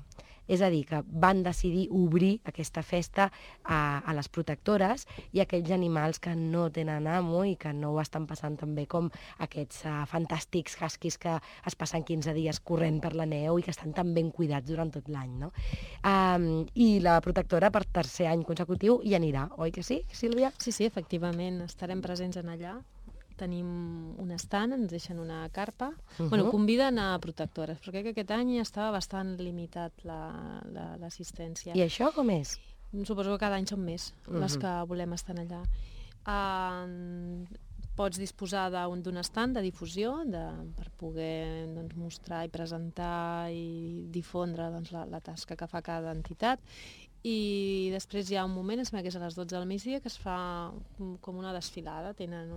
És a dir, que van decidir obrir aquesta festa a les protectores i a aquells animals que no tenen amo i que no ho estan passant tan bé com aquests fantàstics huskies que es passen 15 dies corrent per la neu i que estan tan ben cuidats durant tot l'any, no? I la protectora, per 3è any consecutiu, hi anirà, oi que sí, Sílvia? Sí, efectivament, estarem presents en allà. Tenim un stand, ens deixen una carpa. Conviden a protectores, però crec que aquest any estava bastant limitat l'assistència. I això com és? Suposo que cada any són més les que volem estar allà. Pots disposar d'un stand de difusió per poder mostrar i presentar i difondre la tasca que fa cada entitat. I després hi ha un moment, em sembla que és a les 12 del migdia, que es fa com una desfilada, tenen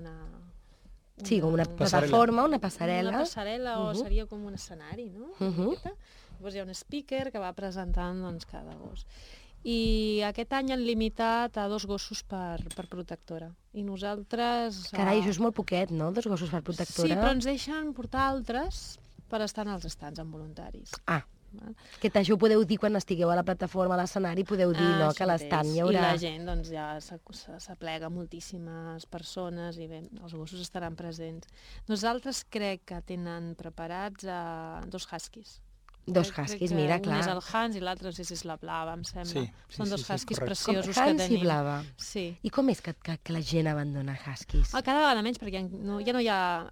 Sí, com una plataforma, una passarel·la. Una passarel·la o seria com un escenari, no? Llavors hi ha un speaker que va presentant cada gos. I aquest any han limitat a 2 gossos per protectora. I nosaltres... Carai, això és molt poquet, no? 2 gossos per protectora. Sí, però ens deixen portar altres per estar en els stands amb voluntaris. Que això ho podeu dir quan estigueu a la plataforma, a l'escenari, podeu dir que a l'estand hi haurà... I la gent ja s'aplega moltíssimes persones i bé, els gossos estaran presents. Nosaltres crec que tenen preparats 2 huskies. Dos huskies, mira, clar. Un és el Hans i l'altre és la Blava, em sembla. Són dos huskies correcte. preciosos que Hans tenim. i Blava. Sí. I com és que la gent abandona huskies? Cada vegada menys, perquè ja no hi ha...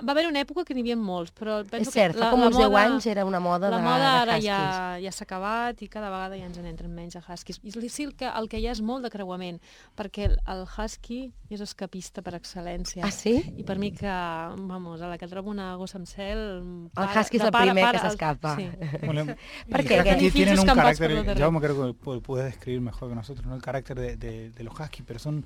Va haver una època que n'hi havia molts, però penso És cert, que fa com uns 10 anys era una moda de huskies. La moda ara huskies. ja s'ha acabat i cada vegada ja ens n'entren menys de huskies. I sí, el que hi ha és molt de creuament, perquè el husky és escapista per excel·lència. Ah, sí? I per mi que, vamos, a la que trobo una gossa amb cel... El husky és el primer que s'escapa. Sí. Bueno, ¿Por y qué? huskies Tienen tienen un campos por carácter, los terrenos. Jaume creo que puede describir mejor que nosotros, ¿no? El carácter de los huskies, pero son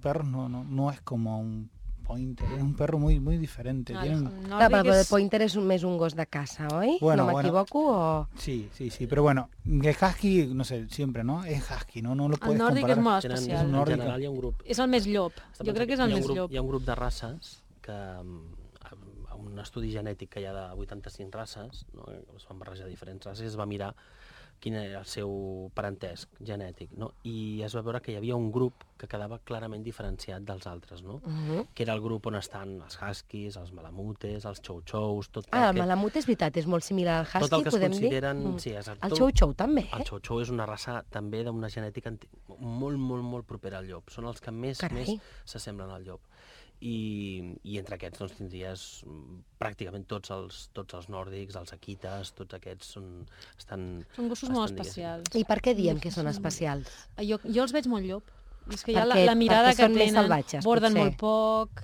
perros, no es como un pointer, es un perro muy diferente. Tienen... Clar, però el pointer és més un gos de caça, oi? Bueno, no m'equivoco o...? Sí, pero bueno, el husky, no sé, siempre, ¿no? Es husky, no lo puedes El nòrdic comparar. és molt És especial. un En nòrdic. general hi ha un grup... És el més llop. Jo crec que és el més llop. Hi ha un grup de races que un estudi genètic que hi ha de 85 races, no? Es van barrejar diferents races, es va mirar quin era el seu parentesc genètic, no? I es va veure que hi havia un grup que quedava clarament diferenciat dels altres, no? Que era el grup on estan els huskies, els malamutes, els chow-chows... El malamut és veritat, és molt similar al husky, tot el que es podem dir? consideren... Sí, exacte. El chow-chow també, El chow-chow és una raça també d'una genètica molt propera al llop. Són els que més s'assemblen al llop. I entre aquests doncs, tindries pràcticament tots els nòrdics, els akitas, tots aquests són gossos molt especials. I per què diem que són especials? Jo els veig molt llop. És que hi ha la mirada que tenen, salvatges, borden potser. molt poc,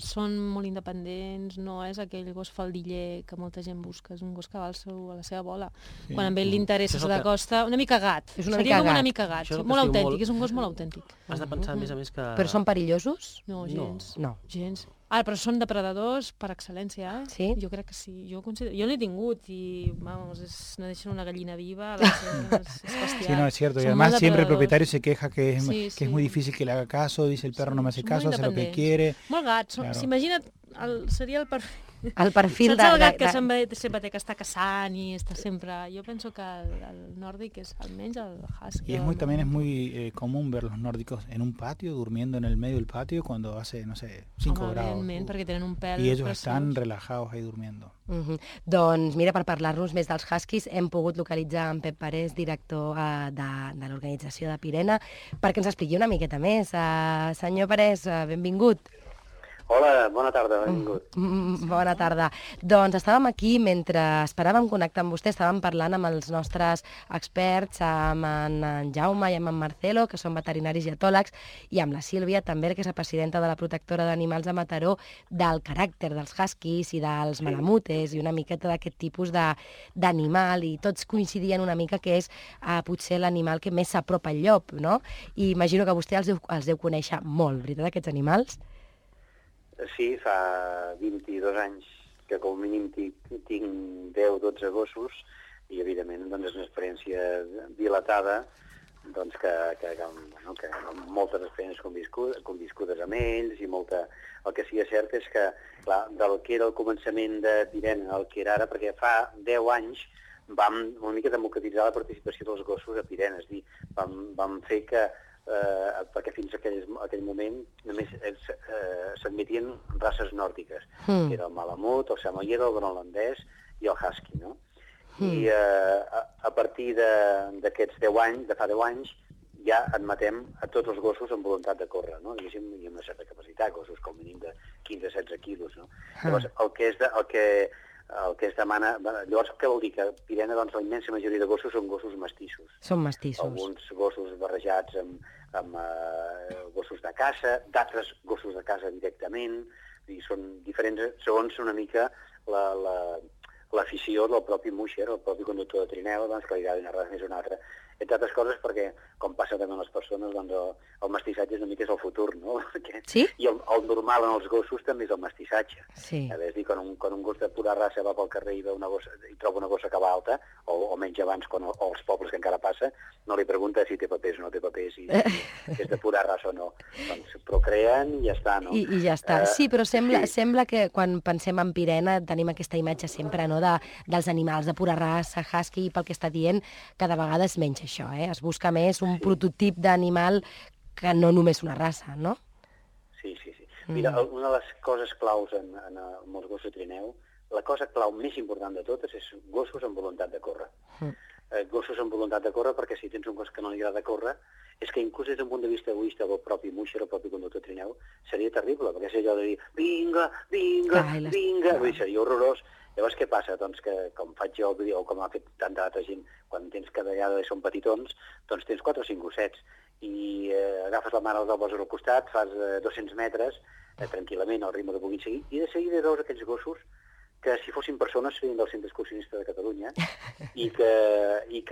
són molt independents, no és aquell gos faldiller que molta gent busca, és un gos que va a la seva bola. Sí. Quan a ell li interessa se l'acosta, una mica gat. Seria com una mica gat, molt autèntic, és un gos molt autèntic. Has de pensar, a més que... Però són perillosos? No, gens. No. Gens. Però són depredadors per excel·lència, eh? Sí? Jo crec que sí. Jo n'he tingut i, vamos, no deixen una gallina viva, és bestial. Sí, no, es cierto. Y además siempre el propietario se queja que es muy difícil que le haga caso, dice el perro no me hace caso, hace lo que quiere. Molt gat. Claro. S'imagina, seria el perfil... El perfil Saps el gat que sempre té que estar caçant i està sempre... Jo penso que el nòrdic és almenys el husky. Y también es muy común ver los nórdicos en un patio, durmiendo en el medio del patio cuando hace, no sé, 5 grados. Perquè tenen un pèl Y ellos preciós. están relajados ahí durmiendo. Doncs mira, per parlar-nos més dels huskies hem pogut localitzar en Pep Parés, director de l'organització de Pirena, perquè ens expliqui una miqueta més. Senyor Parés, benvingut. Hola, bona tarda, benvingut. Bona tarda. Doncs estàvem aquí, mentre esperàvem connectar amb vostè, estàvem parlant amb els nostres experts, amb en Jaume i amb en Marcelo, que són veterinaris i etòlegs, i amb la Sílvia, també, que és la presidenta de la protectora d'animals de Mataró, del caràcter dels huskies i dels malamutes i una miqueta d'aquest tipus d'animal, i tots coincidien una mica que és potser l'animal que més s'apropa al llop, no? I imagino que vostè els deu conèixer molt, veritat, aquests animals? Sí, fa 22 anys que com a mínim tinc 10-12 gossos i, evidentment, doncs, és una experiència dilatada doncs, que amb moltes experiències conviscudes amb ells i molta... El que sí que és cert és que, clar, del que era el començament de Pirena al que era ara, perquè fa 10 anys vam una mica democratitzar la participació dels gossos a Pirena, és a dir, vam fer que perquè fins a aquell moment només s'admetien races nòrdiques, que era el malamut, el samoyed, el groenlandès i el husky, no? I a partir d'aquests 10 anys, de fa 10 anys, ja admetem a tots els gossos amb voluntat de córrer, no? Diguéssim, i amb una certa capacitat, gossos com a mínim de 15-16 quilos, no? Llavors, el que es demana... Llavors, què vol dir? Que a Pirena, doncs, la immensa majoria de gossos són gossos mestissos. Són mestissos. Alguns gossos barrejats amb gossos de caça, d'altres gossos de caça directament, i són diferents segons una mica l'afició del propi musher, el propi conductor de trineu, doncs, que li agrada una raça més o una altra. Entre altres coses perquè, com passa també amb les persones, doncs el mestissatge una mica és el futur, no? Sí? I el normal en els gossos també és el mestissatge. Sí. És dir, quan un gos de pura raça va pel carrer i troba una gossa que va alta, o menys abans, o als pobles que encara passa, no li pregunta si té papers o no té papers, si és de pura raça o no. Doncs procreen i ja està, no? I ja està. Sí, però sembla que quan pensem en Pirena tenim aquesta imatge sempre, no?, dels animals de pura raça, husky, i pel que està dient, cada vegada és menys això, es busca més un prototip d'animal que no només una raça, no? Sí. Mira, una de les coses claus en molts gossos de trineu la cosa clau més important de totes és gossos amb voluntat de córrer. Gossos amb voluntat de córrer, perquè si tens un gos que no li agrada córrer, és que inclús des d'un punt de vista egoista del propi Musher, el propi conductor trineu, seria terrible, perquè és allò de dir vinga, vinga, vinga, vull dir, seria horrorós. Llavors què passa? Doncs que com faig jo, o com ha fet tanta altra gent, quan tens cada vegada són petitons, doncs tens 4 o 5 gossets, i agafes la mare del poses al costat, fas 200 metres, tranquil·lament, al ritme que puguin seguir, i de seguida veus aquests gossos que si fossin persones serien del Centre Excursionista de Catalunya i que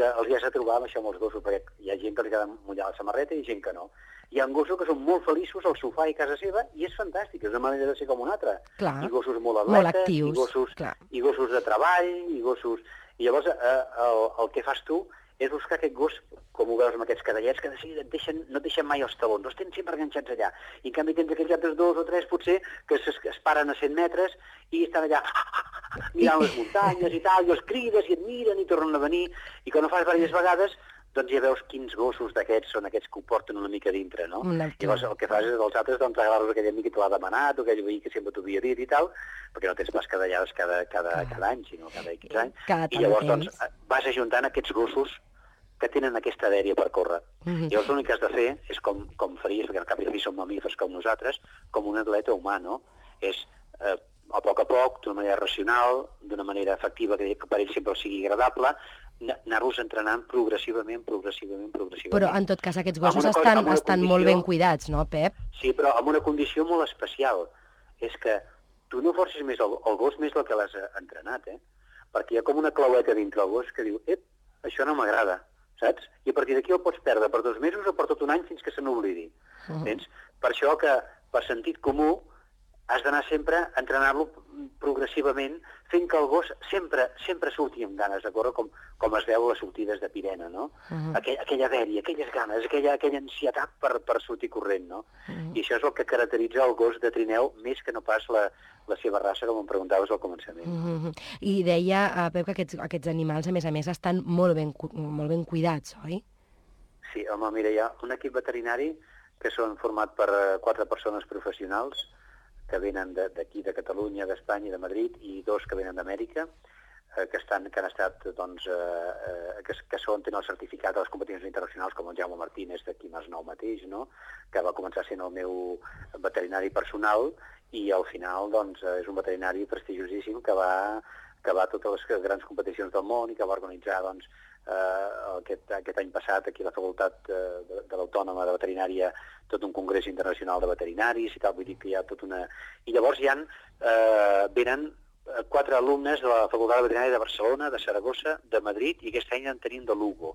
els has de trobar amb això amb els gossos, perquè hi ha gent que li queda mullar la samarreta i gent que no. Hi ha gossos que són molt feliços al sofà i a casa seva i és fantàstic, és una manera de ser com una altra. Clar. I gossos molt atletes, molt actius, i gossos de treball, i gossos... I llavors el que fas tu és buscar aquest gos, com ho veus amb aquests cadellets, que de seguida no et deixen mai els talons, els tens sempre enganxats allà. I en canvi tens aquells altres 2 o 3, potser, que es paren a 100 metres i estan allà mirant les muntanyes i tal, i els crides i et miren i tornen a venir. I quan ho fas diverses vegades, doncs ja veus quins gossos d'aquests són aquests que ho porten una mica dintre, no? Llavors el que fas és dels altres, doncs agarres aquell amic que te l'ha demanat, o aquell veí que sempre t'ho havia dit i tal, perquè no tens pas cadellades cada any, sinó cada 15 anys. I llavors doncs vas ajuntant aquests gossos que tenen aquesta dèria per córrer. Llavors l'únic que has de fer és com faries, perquè al cap i a la fi són mamífers com nosaltres, com un atleta humà, no? És a poc, d'una manera racional, d'una manera efectiva, que per ell sempre sigui agradable, anar-los entrenant progressivament. Però en tot cas aquests gossos estan molt ben cuidats, no, Pep? Sí, però amb una condició molt especial. És que tu no forcis més el gos més del que l'has entrenat, perquè hi ha com una claueta dintre el gos que diu, això no m'agrada, saps? I a partir d'aquí el pots perdre per 2 mesos o per tot un any fins que se n'oblidi. Per això que per sentit comú has d'anar sempre a entrenar-lo progressivament, fent que el gos sempre surti amb ganes de córrer, com es veu a les sortides de Pirena, no? Aquella dèria, aquelles ganes, aquella ansietat per sortir corrent, no? I això és el que caracteritza el gos de trineu, més que no pas la seva raça, com em preguntaves al començament. I deia, Pep, que aquests animals, a més, estan molt ben cuidats, oi? Sí, home, mira, hi ha un equip veterinari que són format per 4 persones professionals, que venen d'aquí, de Catalunya, d'Espanya i de Madrid, i 2 que venen d'Amèrica, que han estat, doncs, que tenen el certificat de les competicions internacionals, com el Jaume Martínez d'aquí Masnou mateix, no? Que va començar sent el meu veterinari personal, i al final, doncs, és un veterinari prestigiosíssim que va a totes les grans competicions del món i que va organitzar, doncs, aquest any passat aquí a la Facultat de l'Autònoma de Veterinària tot un congrés internacional de veterinaris i tal, vull dir que hi ha tot una... I llavors venen 4 alumnes de la Facultat de Veterinària de Barcelona, de Saragossa, de Madrid, i aquest any en tenim de Lugo,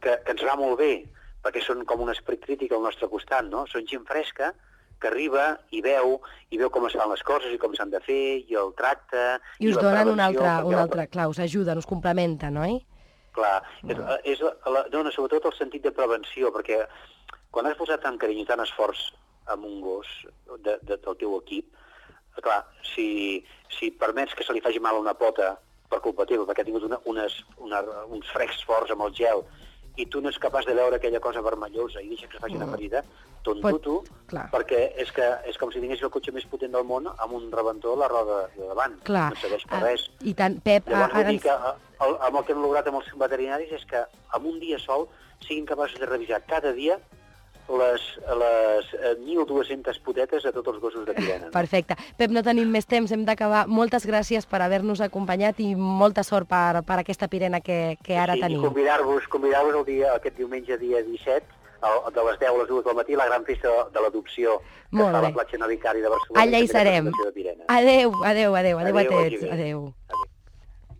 que ens va molt bé, perquè són com un esperit crític al nostre costat, no? Són gent fresca que arriba i veu com es fan les coses i com s'han de fer, i el tracte... I us donen un altre, clar, us ajuden, us complementen, oi? Clar, dona sobretot el sentit de prevenció, perquè quan has posat tant carinyo i tant esforç amb un gos del teu equip, clar, si permets que se li faci mal a una pota per culpa teva, perquè ha tingut uns frecs forts amb el gel, i tu no ets capaç de veure aquella cosa vermellosa i deixa que es faci una ferida, tonto, perquè és com si tinguessis el cotxe més potent del món amb un rebentor a la roda de davant. Clar. No serveix per res. I tant, Pep... Llavors vull dir que amb el que hem lograt amb els veterinaris és que en un dia sol siguin capaços de revisar cada dia les 1.200 potetes a tots els gossos de Pirena. Perfecte. Pep, no tenim més temps, hem d'acabar. Moltes gràcies per haver-nos acompanyat i molta sort per aquesta Pirena que ara tenim. I convidar-vos aquest diumenge, dia 17, de les 10 a les 2 del matí, la gran festa de l'adopció que fa la platja Navicari de Barcelona. Allà hi serem. Adéu a tots. Adéu.